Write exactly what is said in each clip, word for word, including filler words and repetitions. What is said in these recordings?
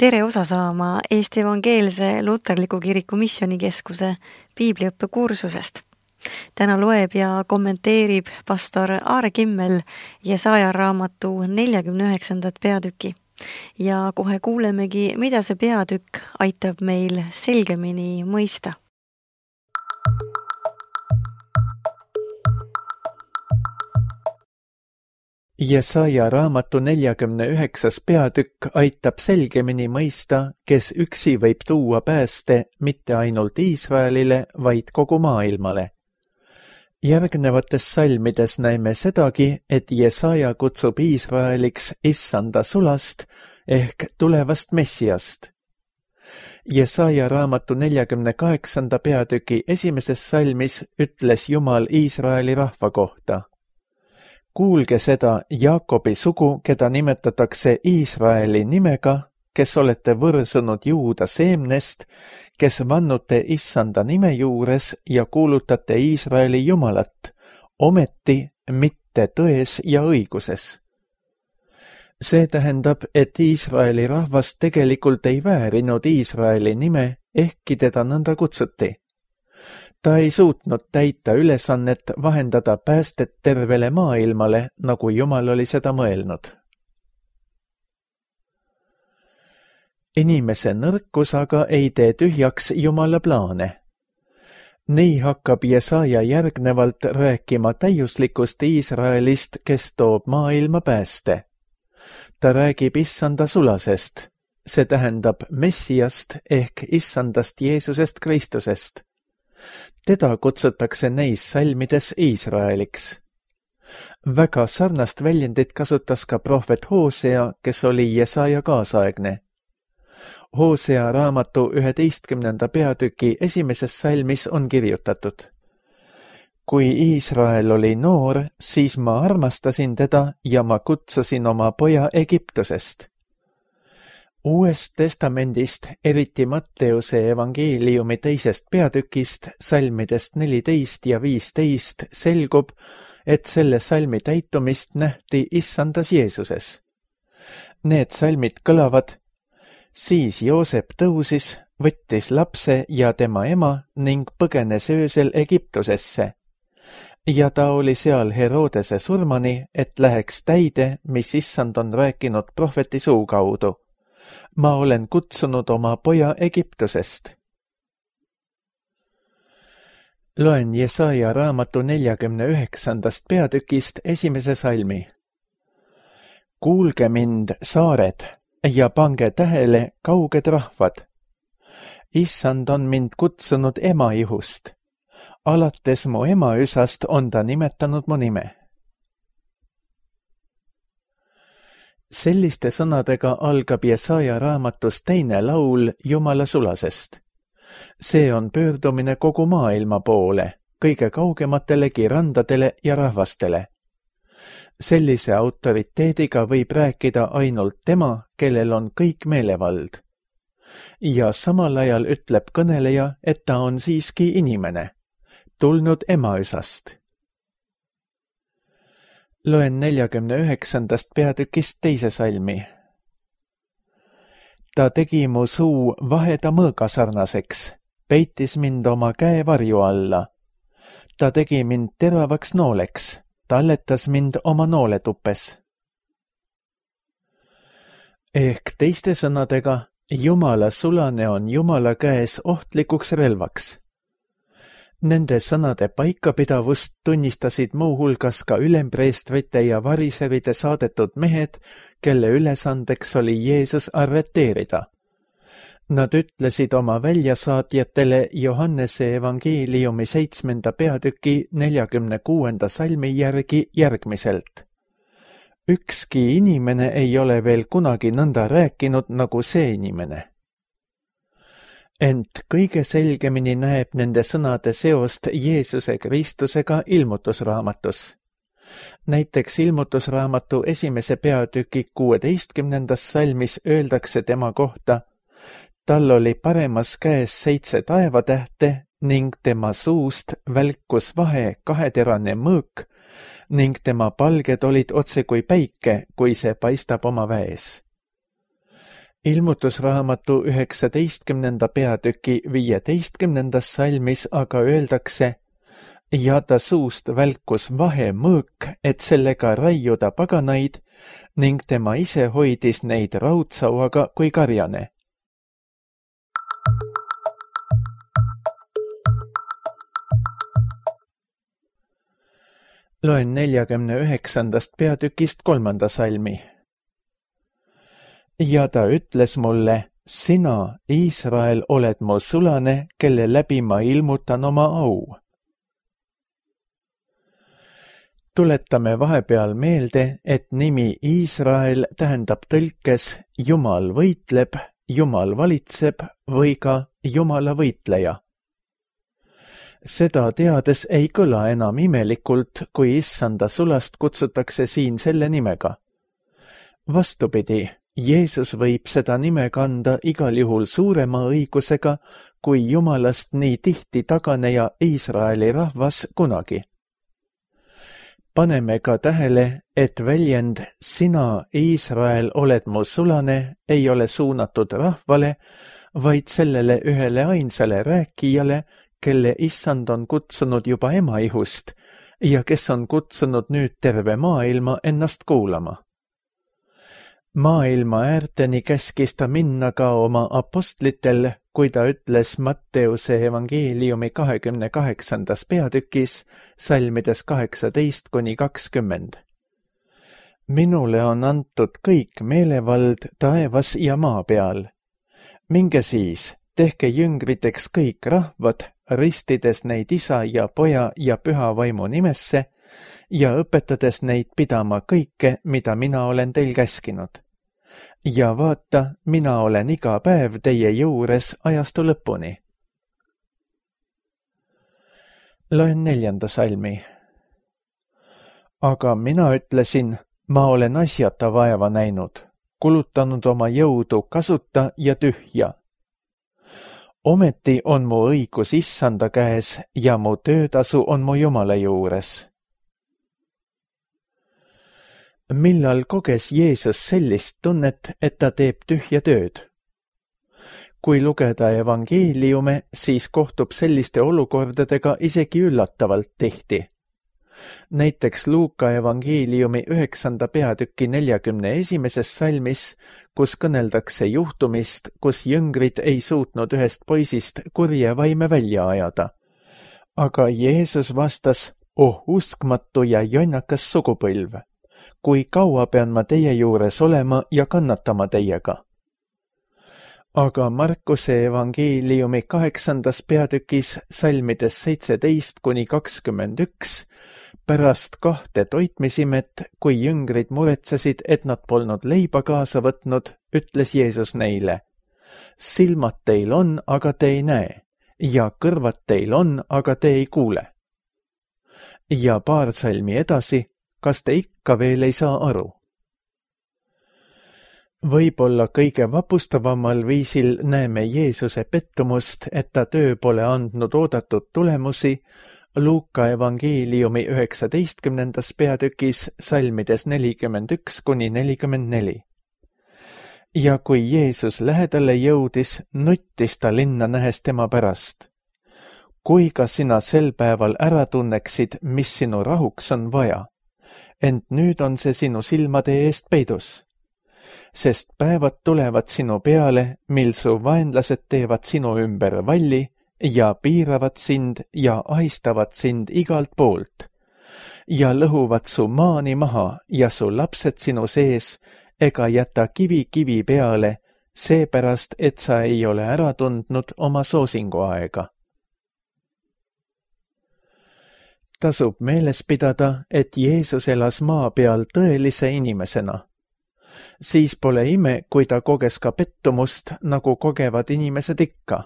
tere osa saama Eesti Evangeelse Luterliku Kiriku Missioonikeskuse piibliõppe kursusest. Täna loeb ja kommenteerib pastor Aare Kimmel Jesaja raamatu neljakümne üheksandat peatüki. Ja kohe kuulemegi, mida see peatükk aitab meil selgemini mõista. Jesaja raamatu neljakümne üheksas peatükk aitab selgemini mõista, kes üksi võib tuua pääste mitte ainult Iisraelile, vaid kogu maailmale. Järgnevates salmides näeme sedagi, et Jesaja kutsub Iisraeliks issanda sulast ehk tulevast Messiast. Jesaja raamatu neljakümne kaheksanda peatüki esimeses salmis ütles Jumal Iisraeli rahva kohta. Kuulge seda Jaakobi sugu, keda nimetatakse Iisraeli nimega, kes olete võrsunud Juuda seemnest, kes vannute issanda nime juures ja kuulutate Iisraeli Jumalat, ometi mitte tões ja õiguses. See tähendab, et Iisraeli rahvas tegelikult ei väärinud Iisraeli nime, ehkki teda nõnda kutsuti. Ta ei suutnud täita ülesannet vahendada päästet tervele maailmale, nagu Jumal oli seda mõelnud. Inimese nõrkus aga ei tee tühjaks Jumala plaane. Nii hakkab Jesaja järgnevalt rääkima täiuslikust Iisraelist, kes toob maailma pääste. Ta räägib issanda sulasest, see tähendab Messiast ehk issandast Jeesusest Kristusest. Teda kutsutakse neis salmides Iisraeliks. Väga sarnast väljendit kasutas ka prohvet Hoosea, kes oli Jesaja kaasaegne. Hoosea raamatu üheteistkümnenda peatüki esimeses salmis on kirjutatud. Kui Iisrael oli noor, siis ma armastasin teda ja ma kutsusin oma poja Egiptusest. Uuest testamendist, eriti Matteuse evangeeliumi teisest peatükist, salmidest neliteist ja viisteist, selgub, et selle salmi täitumist nähti issandas Jeesuses. Need salmid kõlavad: siis Joosep tõusis, võttis lapse ja tema ema ning põgenes öösel Egiptusesse. Ja ta oli seal Herodese surmani, et läheks täide, mis issand on rääkinud prohveti suu kaudu. Ma olen kutsunud oma poja Egiptusest. Loen Jesaja raamatu neljakümne üheksandast peatükist esimese salmi. Kuulge mind, saared, ja pange tähele, kauged rahvad. Issand on mind kutsunud ema ihust. Alates mu ema üsast on ta nimetanud mu nime. Selliste sõnadega algab Jesaja raamatus teine laul Jumala sulasest. See on pöördumine kogu maailma poole, kõige kaugematelegi randadele ja rahvastele. Sellise autoriteediga võib rääkida ainult tema, kellel on kõik meelevald. Ja samal ajal ütleb kõneleja, et ta on siiski inimene, tulnud emaüsast. Loen neljakümne üheksandast peatükist teise salmi. Ta tegi mu suu vaheda mõõga sarnaseks, peitis mind oma käe varju alla. Ta tegi mind teravaks nooleks, talletas mind oma nooletupes. Ehk teiste sõnadega, Jumala sulane on Jumala käes ohtlikuks relvaks. Nende sõnade paikapidavust tunnistasid muuhulgas ka ülempreestrite ja variseride saadetud mehed, kelle ülesandeks oli Jeesus arreteerida. Nad ütlesid oma väljasaatjatele Johannese evangeeliumi seitsmenda peatüki neljakümne kuuenda salmi järgi järgmiselt. Ükski inimene ei ole veel kunagi nõnda rääkinud nagu see inimene. Ent kõige selgemini näeb nende sõnade seost Jeesuse Kristusega ilmutusraamatus. Näiteks ilmutusraamatu esimese peatüki kuueteistkümnendas salmis öeldakse tema kohta: tal oli paremas käes seitse taevatähte ning tema suust välkus vahe kaheterane mõõk ning tema palged olid otse kui päike, kui see paistab oma väes. ilmutusraamatu üheksateistkümnenda peatüki viieteistkümnendas salmis aga öeldakse: ja ta suust välkus vahemõõk, et sellega raiuda paganaid, ning tema ise hoidis neid raudsauaga kui karjane. Loen neljakümne üheksandast peatükist kolmanda salmi. Ja ta ütles mulle: sina, Iisrael, oled mu sulane, kelle läbi ma ilmutan oma au. Tuletame vahepeal meelde, et nimi Iisrael tähendab tõlkes Jumal võitleb, Jumal valitseb või ka Jumala võitleja. Seda teades ei kõla enam imelikult, kui issanda sulast kutsutakse siin selle nimega. Vastupidi, Jeesus võib seda nime kanda igal juhul suurema õigusega, kui Jumalast nii tihti taganeja Iisraeli rahvas kunagi. Paneme ka tähele, et väljend sina, Iisrael, oled mu sulane ei ole suunatud rahvale, vaid sellele ühele ainsale rääkijale, kelle issand on kutsunud juba emaihust ja kes on kutsunud nüüd terve maailma ennast kuulama. Maailma äärteni käskis ta minna ka oma apostlitel, kui ta ütles Matteuse evangeeliumi kahekümne kaheksandas peatükis, salmides kaheksateist kuni kakskümmend. Minule on antud kõik meelevald taevas ja maa peal. Minge siis, tehke jüngriteks kõik rahvad, ristides neid isa ja poja ja püha vaimu nimesse ja õpetades neid pidama kõike, mida mina olen teil käskinud. Ja vaata, mina olen iga päev teie juures ajastu lõpuni. Loen neljanda salmi. Aga mina ütlesin, ma olen asjata vaeva näinud, kulutanud oma jõudu kasuta ja tühja. Ometi on mu õigus issanda käes ja mu töötasu on mu Jumala juures. Millal koges Jeesus sellist tunnet, et ta teeb tühja tööd? Kui lugeda evangeeliume, siis kohtub selliste olukordadega isegi üllatavalt tihti. Näiteks Luuka evangeeliumi üheksanda peatüki neljakümne esimeses salmis, kus kõneldakse juhtumist, kus jüngrid ei suutnud ühest poisist kurje vaime välja ajada. Aga Jeesus vastas: oh uskmatu ja jonnakas sugupõlv, kui kaua pean ma teie juures olema ja kannatama teiega? Aga Markuse evangeeliumi kaheksandas peatükis salmides seitseteist kuni kakskümmend üks pärast kahte toitmisimet, kui jüngrid muretsesid, et nad polnud leiba kaasa võtnud, ütles Jeesus neile: silmad teil on, aga te ei näe, ja kõrvad teil on, aga te ei kuule. Ja paar salmi edasi: kas te ikka veel ei saa aru? Võib-olla kõige vapustavamal viisil näeme Jeesuse pettumust, et ta töö pole andnud oodatud tulemusi, Luuka evangeeliumi üheksateistkümnendas peatükis salmides nelikümmend üks kuni nelikümmend neli. Ja kui Jeesus lähedale jõudis, nuttis ta linna nähes tema pärast. Kui ka sina sel päeval ära tunneksid, mis sinu rahuks on vaja, ent nüüd on see sinu silmade eest peidus. Sest päevad tulevad sinu peale, mil su vaenlased teevad sinu ümber valli ja piiravad sind ja ahistavad sind igalt poolt ja lõhuvad su maani maha ja su lapsed sinu sees ega jäta kivi kivi peale, seepärast, et sa ei ole ära tundnud oma soosinguaega. Tasub meeles pidada, et Jeesus elas maa peal tõelise inimesena. Siis pole ime, kui ta koges ka pettumust, nagu kogevad inimesed ikka.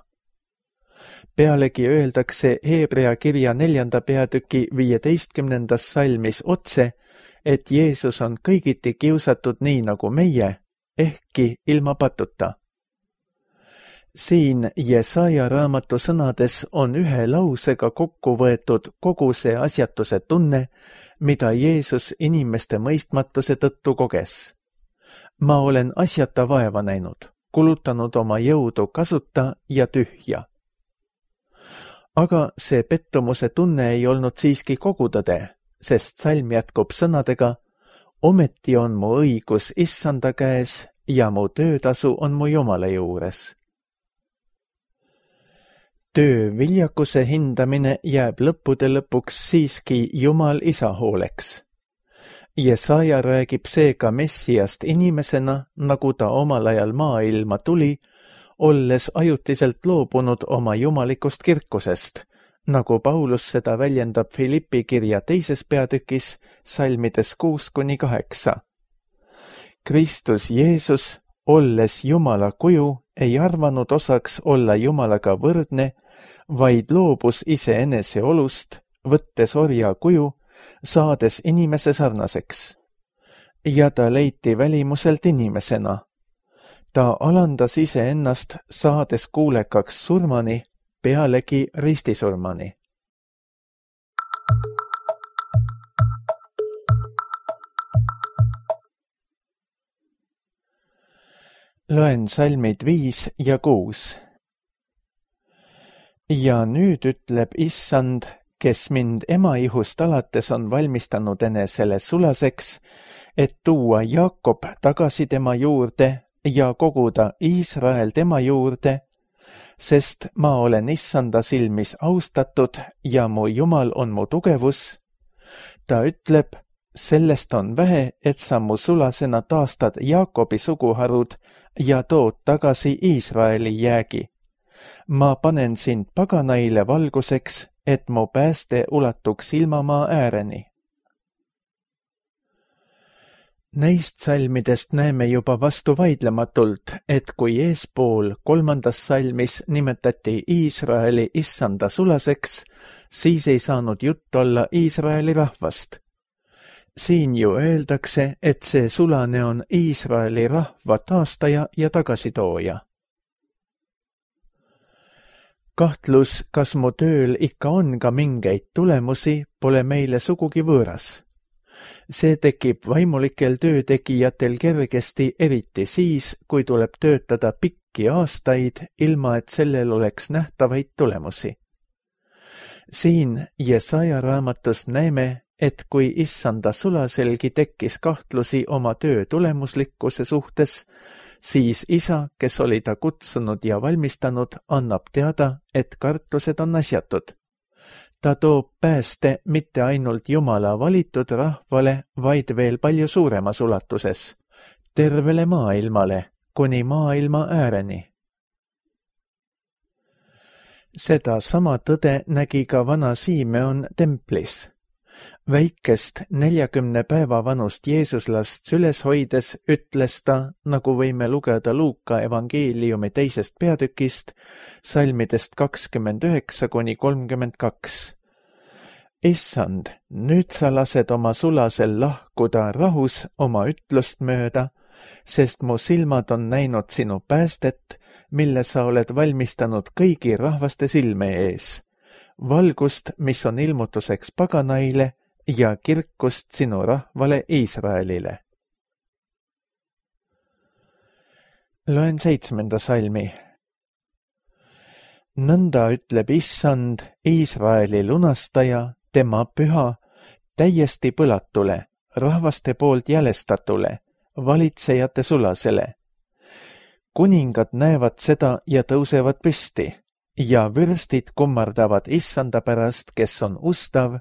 Pealegi öeldakse Hebrea kirja neljanda peatüki viieteistkümnendas salmis otse, et Jeesus on kõigiti kiusatud nii nagu meie, ehkki ilma patuta. Siin Jesaja raamatu sõnades on ühe lausega kokku võetud kogu see asjatuse tunne, mida Jeesus inimeste mõistmatuse tõttu koges. Ma olen asjata vaeva näinud, kulutanud oma jõudu kasuta ja tühja. Aga see pettumuse tunne ei olnud siiski kogu tõde, sest salm jätkub sõnadega: ometi on mu õigus Issanda käes ja mu töötasu on mu Jumala juures. Töö viljakuse hindamine jääb lõppude lõpuks siiski Jumal Isa hooleks. Jesaja räägib seega Messiast inimesena, nagu ta omal ajal maailma tuli, olles ajutiselt loobunud oma jumalikust kirkusest, nagu Paulus seda väljendab Filippi kirja teises peatükis salmides kuus kuni kaheksa. Kristus Jeesus, olles Jumala kuju, ei arvanud osaks olla Jumalaga võrdne, vaid loobus iseenese olust, võttes orja kuju, saades inimese sarnaseks. Ja ta leiti välimuselt inimesena. Ta alandas iseennast, saades kuulekaks surmani, pealegi ristisurmani. Loen salmid viis ja kuus. Ja nüüd ütleb Issand, kes mind emaihust alates on valmistanud enesele sulaseks, et tuua Jaakob tagasi tema juurde ja koguda Iisrael tema juurde, sest ma olen Issanda silmis austatud ja mu Jumal on mu tugevus. Ta ütleb, sellest on vähe, et sa mu sulasena taastad Jaakobi suguharud ja tood tagasi Iisraeli jäägi. Ma panen sind paganaile valguseks, et mu pääste ulatuks ilmamaa ääreni. Neist salmidest näeme juba vastu vaidlematult, et kui eespool kolmandas salmis nimetati Iisraeli Issanda sulaseks, siis ei saanud jutt olla Iisraeli rahvast. Siin ju öeldakse, et see sulane on Iisraeli rahva taastaja ja tagasitooja. Kahtlus, kas mu tööl ikka on ka mingeid tulemusi, pole meile sugugi võõras. See tekib vaimulikel töötegijatel kergesti, eriti siis, kui tuleb töötada pikki aastaid, ilma et sellel oleks nähtavaid tulemusi. Siin Jesaja raamatus näeme, et kui Issanda sulaselgi tekkis kahtlusi oma töö tulemuslikkuse suhtes, siis Isa, kes oli ta kutsunud ja valmistanud, annab teada, et kartused on asjatud. Ta toob pääste mitte ainult Jumala valitud rahvale, vaid veel palju suuremas ulatuses, tervele maailmale, kuni maailma ääreni. Seda sama tõde nägi ka vana Simeon templis. Väikest neljakümne päeva vanust Jeesuslast süles hoides ütles ta, nagu võime lugeda Luuka evangeeliumi teisest peatükist, salmidest kakskümmend üheksa kuni kolmkümmend kaks. Issand, nüüd sa lased oma sulasel lahkuda rahus oma ütlust mööda, sest mu silmad on näinud sinu päästet, mille sa oled valmistanud kõigi rahvaste silme ees. Valgust, mis on ilmutuseks paganaile ja kirkust sinu rahvale Iisraelile. Loen seitsmenda salmi. Nõnda ütleb Issand, Iisraeli lunastaja, tema püha, täiesti põlatule, rahvaste poolt jälestatule, valitsejate sulasele. Kuningad näevad seda ja tõusevad püsti. Ja vürstid kummardavad Issanda pärast, kes on ustav,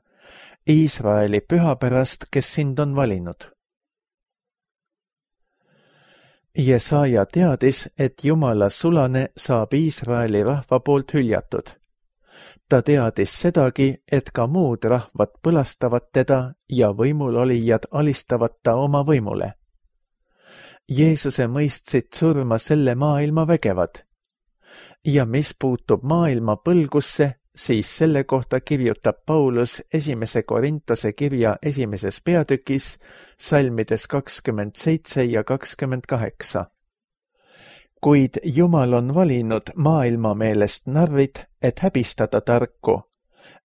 Iisraeli püha pärast, kes sind on valinud. Jesaja teadis, et Jumala sulane saab Iisraeli rahva poolt hüljatud. Ta teadis sedagi, et ka muud rahvad põlastavad teda ja võimulolijad alistavad ta oma võimule. Jeesuse mõistsid surma selle maailma vägevad. Ja mis puutub maailma põlgusse, siis selle kohta kirjutab Paulus esimese Korintuse kirja esimeses peatükis, salmides kakskümmend seitse ja kakskümmend kaheksa. Kuid Jumal on valinud maailma meelest narrid, et häbistada tarku,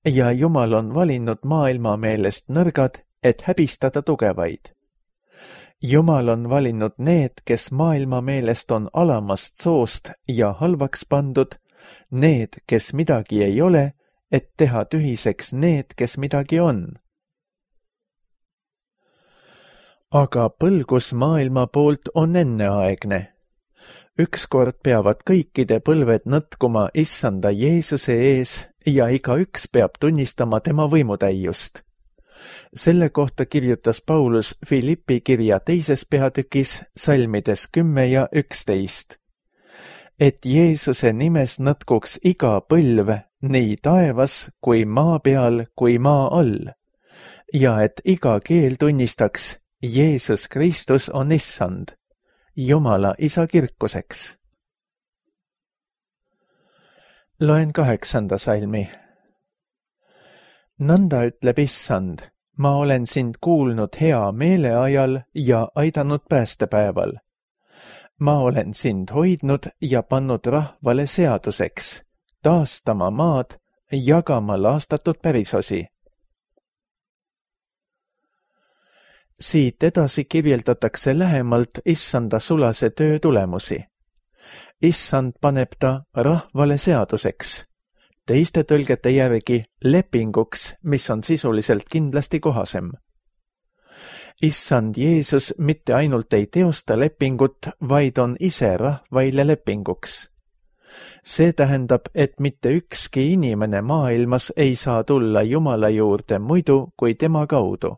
ja Jumal on valinud maailma meelest nõrgad, et häbistada tugevaid. Jumal on valinud need, kes maailma meelest on alamast soost ja halvaks pandud, need, kes midagi ei ole, et teha tühiseks need, kes midagi on. Aga põlgus maailma poolt on enneaegne. Ükskord peavad kõikide põlved nõtkuma issanda Jeesuse ees ja igaüks peab tunnistama tema võimutäiust. Selle kohta kirjutas Paulus Filippi kirja teises peatükis salmides kümme ja üksteist. Et Jeesuse nimes nõtkuks iga põlv nii taevas kui maa peal kui maa all ja et iga keel tunnistaks, Jeesus Kristus on issand, Jumala isa kirkuseks. Loen kaheksanda salmi. Nõnda ütleb issand, ma olen sind kuulnud hea meele ajal ja aidanud päästepäeval. Ma olen sind hoidnud ja pannud rahvale seaduseks, taastama maad, jagama laastatud pärisosi. Siit edasi kirjeldatakse lähemalt issanda sulase töö tulemusi. Issand paneb ta rahvale seaduseks, teiste tõlgete järgi lepinguks, mis on sisuliselt kindlasti kohasem. Issand Jeesus mitte ainult ei teosta lepingut, vaid on ise rahvaile lepinguks. See tähendab, et mitte ükski inimene maailmas ei saa tulla Jumala juurde muidu kui tema kaudu.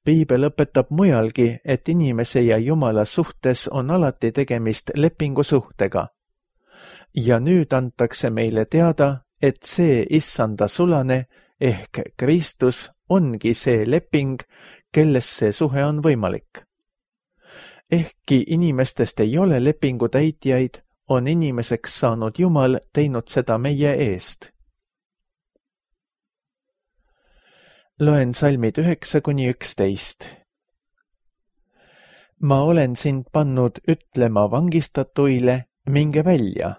Piibel õpetab mujalgi, et inimese ja Jumala suhtes on alati tegemist lepingusuhtega. Ja nüüd antakse meile teada, et see issanda sulane ehk Kristus ongi see leping, kelles see suhe on võimalik. Ehkki inimestest ei ole lepingu täitjaid, on inimeseks saanud Jumal teinud seda meie eest. Loen salmid üheksa kuni üksteist. Ma olen sind pannud ütlema vangistatuile, minge välja.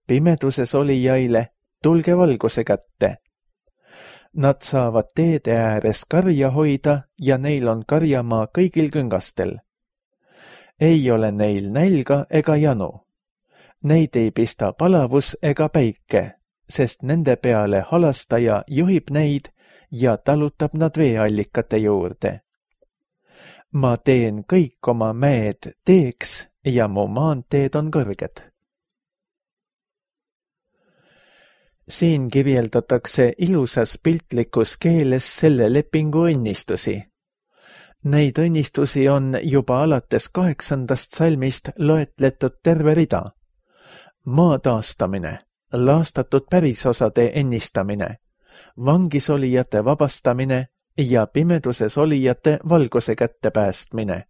Pimeduses olijaile, tulge valguse kätte. Nad saavad teede ääres karja hoida ja neil on karjamaa kõigil küngastel. Ei ole neil nälga ega janu. Neid ei pista palavus ega päike, sest nende peale halastaja juhib neid ja talutab nad veeallikate juurde. Ma teen kõik oma mäed teeks ja mu maanteed on kõrged. Siin kirjeldatakse ilusas piltlikus keeles selle lepingu õnnistusi. Neid õnnistusi on juba alates kaheksandast salmist loetletud terve rida. Maa taastamine, laastatud pärisosade ennistamine, vangisolijate vabastamine ja pimeduses olijate valguse kätte päästmine.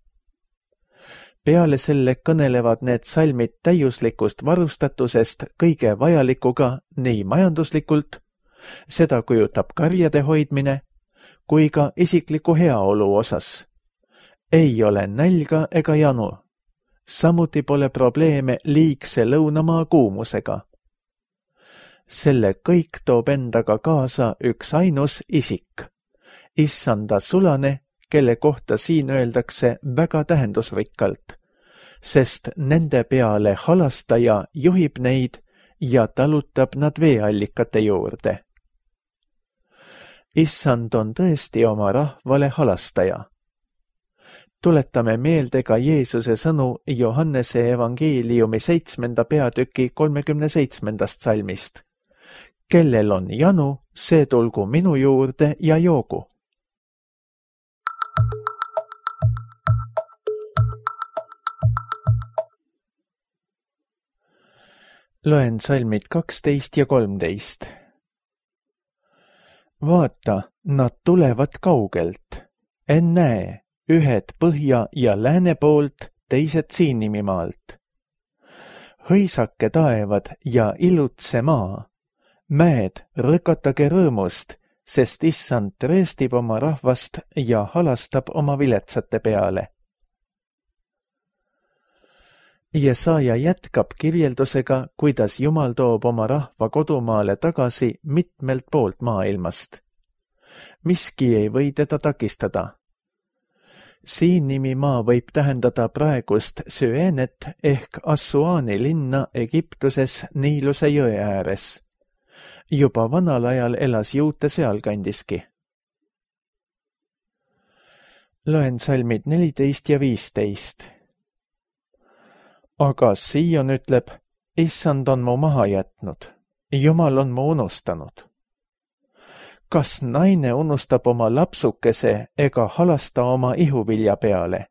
Peale selle kõnelevad need salmid täiuslikust varustatusest kõige vajalikuga nii majanduslikult, seda kujutab karjade hoidmine, kui ka isikliku heaolu osas. Ei ole nälga ega janu. Samuti pole probleeme liigse lõunamaa kuumusega. Selle kõik toob endaga kaasa üks ainus isik, issanda sulane, kelle kohta siin öeldakse väga tähendusrikkalt, sest nende peale halastaja juhib neid ja talutab nad veeallikate juurde. Issand on tõesti oma rahvale halastaja. Tuletame meelde ka Jeesuse sõnu Johannese evangeeliumi seitsmenda peatüki kolmekümne seitsmendast salmist. Kellel on janu, see tulgu minu juurde ja joogu. Loen salmid kaksteist ja kolmteist. Vaata, nad tulevad kaugelt. Ennäe, ühed põhja ja lääne poolt, teised Siinimimaalt. Hõisake taevad ja ilutse maa. Mäed, rõkatage rõõmust, sest issand treestib oma rahvast ja halastab oma viletsate peale. Jesaja jätkab kirjeldusega, kuidas Jumal toob oma rahva kodumaale tagasi mitmelt poolt maailmast. Miski ei või teda takistada. Siin nimi maa võib tähendada praegust Süenet ehk Assuani linna Egiptuses Niiluse jõe ääres. Juba vanal ajal elas juute sealkandiski. Loen salmid neliteist ja viisteist. Aga Sion ütleb, issand on mu maha jätnud, Jumal on mu unustanud. Kas naine unustab oma lapsukese ega halasta oma ihuvilja peale?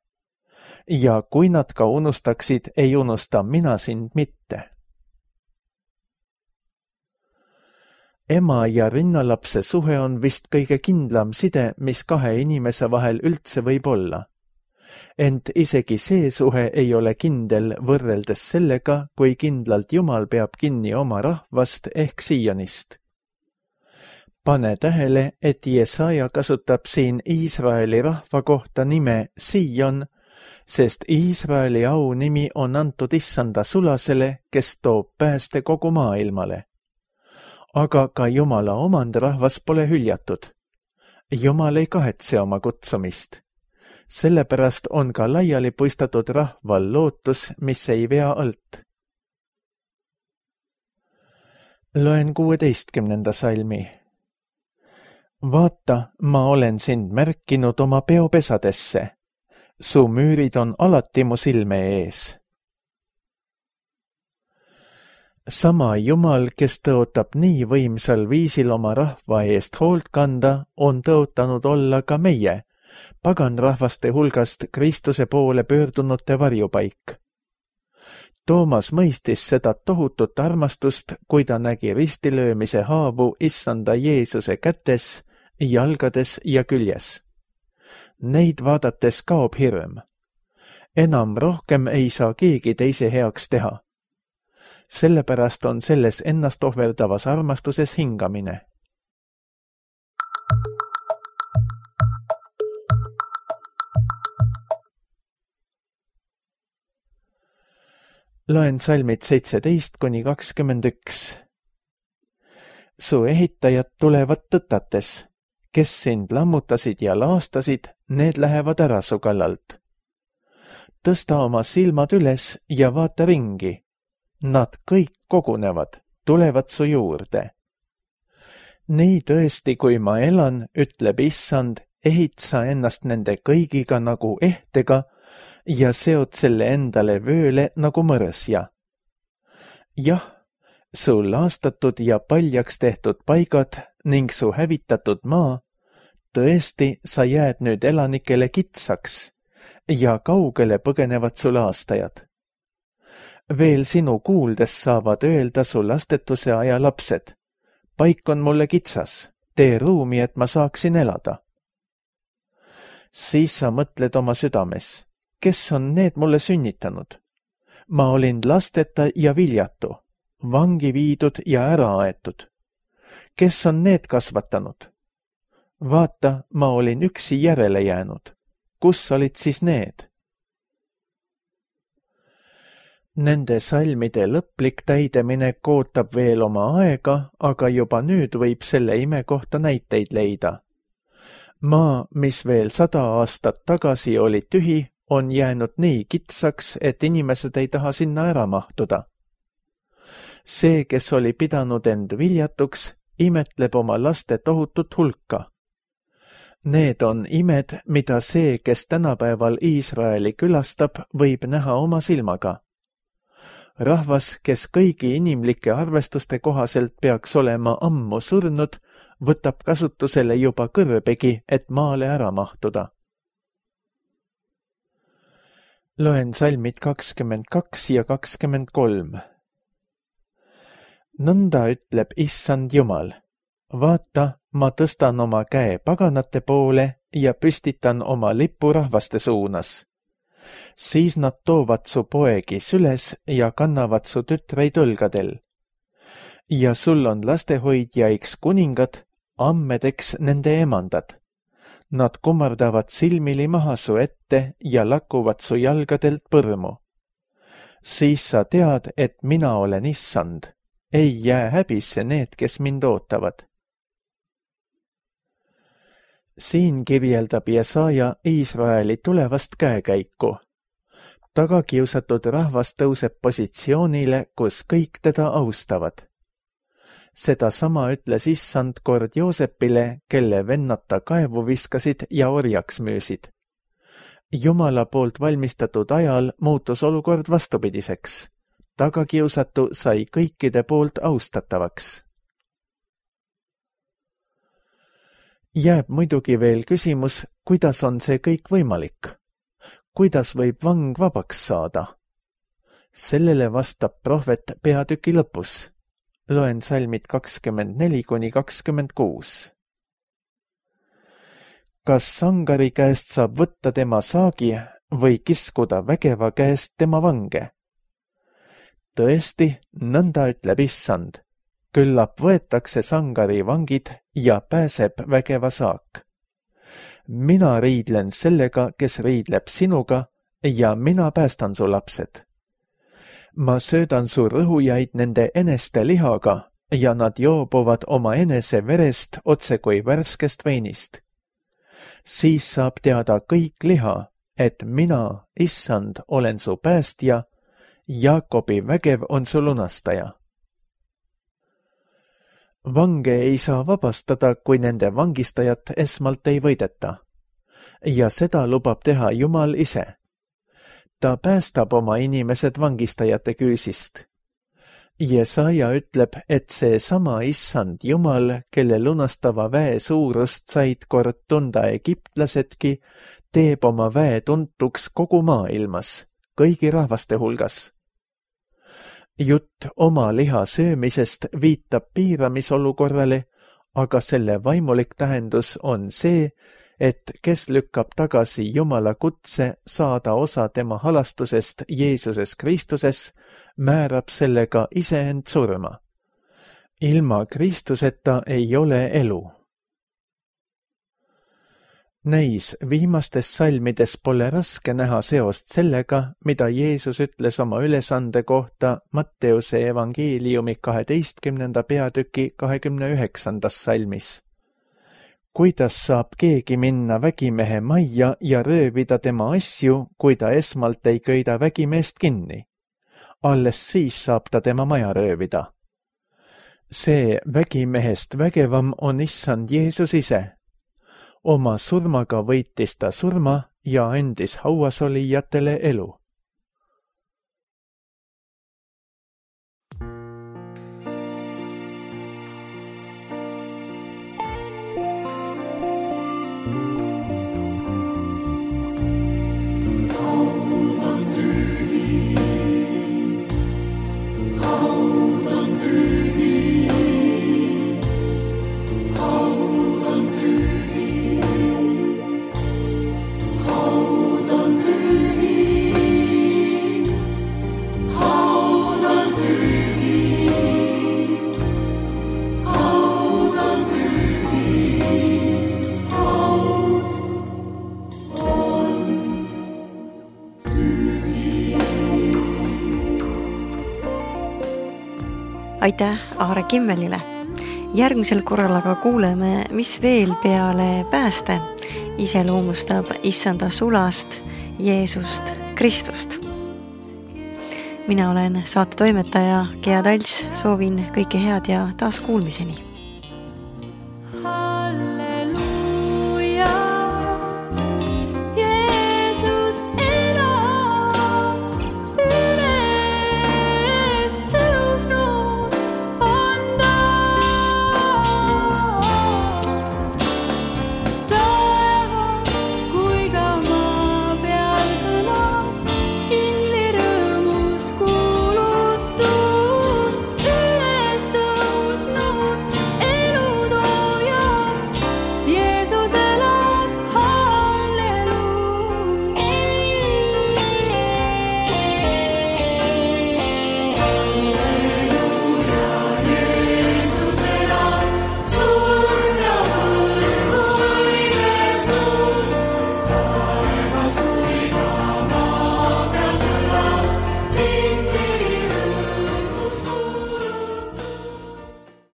Ja kui nad ka unustaksid, ei unusta mina sind mitte. Ema ja rinnalapse suhe on vist kõige kindlam side, mis kahe inimese vahel üldse võib olla. Ent isegi see suhe ei ole kindel võrreldes sellega, kui kindlalt Jumal peab kinni oma rahvast ehk Sionist. Pane tähele, et Jesaja kasutab siin Iisraeli rahva kohta nime Sion, sest Iisraeli au nimi on antud issanda sulasele, kes toob pääste kogu maailmale. Aga ka Jumala omandrahvas pole hüljatud. Jumal ei kahetse oma kutsumist. Sellepärast on ka laiali puistatud rahval lootus, mis ei vea alt. Loen kuueteistkümnenda salmi. Vaata, ma olen sind märkinud oma peopesadesse. Su müürid on alati mu silme ees. Sama Jumal, kes tõotab nii võimsal viisil oma rahva eest hoolt kanda, on tõotanud olla ka meie, paganrahvaste hulgast Kristuse poole pöördunute varjupaik. Toomas mõistis seda tohutut armastust, kui ta nägi ristilöömise haavu issanda Jeesuse kätes, jalgades ja küljes. Neid vaadates kaob hirm. Enam rohkem ei saa keegi teise heaks teha. Sellepärast on selles ennast ohverdavas armastuses hingamine. Loen salmid seitseteist kuni kakskümmend üks. Su ehitajad tulevad tõtates, kes sind lammutasid ja laastasid, need lähevad ära su kallalt. Tõsta oma silmad üles ja vaata ringi. Nad kõik kogunevad, tulevad su juurde. Nii tõesti, kui ma elan, ütleb issand, ehit sa ennast nende kõigiga nagu ehtega ja seod selle endale vööle nagu mõrsja. Jah, su laastatud ja paljaks tehtud paigad ning su hävitatud maa, tõesti, sa jääd nüüd elanikele kitsaks ja kaugele põgenevad su laastajad. Veel sinu kuuldes saavad öelda su lastetuse aja lapsed. Paik on mulle kitsas, tee ruumi, et ma saaksin elada. Siis sa mõtled oma südames, kes on need mulle sünnitanud? Ma olin lasteta ja viljatu, vangi viidud ja ära aetud. Kes on need kasvatanud? Vaata, ma olin üksi järele jäänud. Kus olid siis need? Nende salmide lõplik täideminek ootab veel oma aega, aga juba nüüd võib selle ime kohta näiteid leida. Maa, mis veel sada aastat tagasi oli tühi, on jäänud nii kitsaks, et inimesed ei taha sinna ära mahtuda. See, kes oli pidanud end viljatuks, imetleb oma laste tohutut hulka. Need on imed, mida see, kes tänapäeval Iisraeli külastab, võib näha oma silmaga. Rahvas, kes kõigi inimlike arvestuste kohaselt peaks olema ammu surnud, võtab kasutusele juba kõrbegi, et maale ära mahtuda. Loen salmid kakskümmend kaks ja kakskümmend kolm. Nõnda ütleb issand Jumal. Vaata, ma tõstan oma käe paganate poole ja püstitan oma lipu rahvaste suunas. Siis nad toovad su poegi süles ja kannavad su tütreid õlgadel. Ja sul on lastehoidjaiks kuningad, ammedeks nende emandad. Nad kummardavad silmili maha su ette ja lakuvad su jalgadelt põrmu. Siis sa tead, et mina olen issand. Ei jää häbisse need, kes mind ootavad. siin kirjeldab Jesaja Iisraeli tulevast käekäiku. Tagakiusatud rahvas tõuseb positsioonile, kus kõik teda austavad. Seda sama ütles issand kord Joosepile, kelle vennad ta kaevu viskasid ja orjaks müüsid. Jumala poolt valmistatud ajal muutus olukord vastupidiseks. Tagakiusatu sai kõikide poolt austatavaks. Jääb muidugi veel küsimus, kuidas on see kõik võimalik? Kuidas võib vang vabaks saada? Sellele vastab prohvet peatüki lõpus. Loen salmid kakskümmend neli kuni kakskümmend kuus. Kas sangari käest saab võtta tema saagi või kiskuda vägeva käest tema vange? Tõesti, nõnda ütleb issand. Küllap võetakse sangari vangid ja pääseb vägeva saak. Mina riidlen sellega, kes riidleb sinuga ja mina päästan su lapsed. Ma söödan su rõhujaid nende eneste lihaga ja nad joobuvad oma enese verest otse kui värskest veinist. Siis saab teada kõik liha, et mina, issand, olen su päästja, Jaakobi vägev on su lunastaja. Vange ei saa vabastada, kui nende vangistajat esmalt ei võideta. Ja seda lubab teha Jumal ise. Ta päästab oma inimesed vangistajate küüsist. Jesaja ütleb, et see sama issand Jumal, kelle lunastava väe suurust said kord tunda egiptlasedki, teeb oma väe tuntuks kogu maailmas, kõigi rahvaste hulgas. Jutt oma liha söömisest viitab piiramisolukorrale, aga selle vaimulik tähendus on see, et kes lükkab tagasi Jumala kutse saada osa tema halastusest Jeesuses Kristuses, määrab sellega iseend surma. Ilma Kristuseta ei ole elu. Näis, viimastes salmides pole raske näha seost sellega, mida Jeesus ütles oma ülesande kohta Matteuse evangeeliumi kaheteistkümnenda peatüki kahekümne üheksandas salmis. Kuidas saab keegi minna vägimehe majja ja röövida tema asju, kui ta esmalt ei köida vägimeest kinni? Alles siis saab ta tema maja röövida. See vägimehest vägevam on issand Jeesus ise. Oma surmaga võitis ta surma ja andis hauasolijatele elu. Aitäh Aare Kimmelile. Järgmisel korral aga kuuleme, mis veel peale pääste iseloomustab issanda sulast Jeesust Kristust. Mina olen saate toimetaja Gea Talts, soovin kõike head ja taas kuulmiseni.